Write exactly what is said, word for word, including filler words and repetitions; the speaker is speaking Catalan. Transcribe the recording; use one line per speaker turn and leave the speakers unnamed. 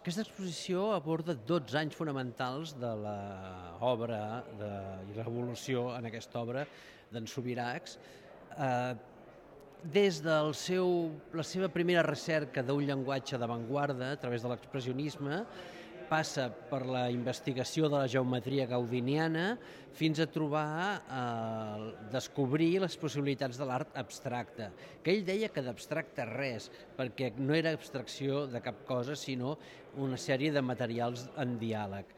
Aquesta exposició aborda dotze anys fonamentals de l'obra de, i l'evolució en aquesta obra d'en Subirachs, eh, des de la seva primera recerca d'un llenguatge d'avantguarda a través de l'expressionisme, passa per la investigació de la geometria gaudiniana fins a trobar, eh, descobrir les possibilitats de l'art abstracte, que ell deia que d'abstracte res, perquè no era abstracció de cap cosa, sinó una sèrie de materials en diàleg.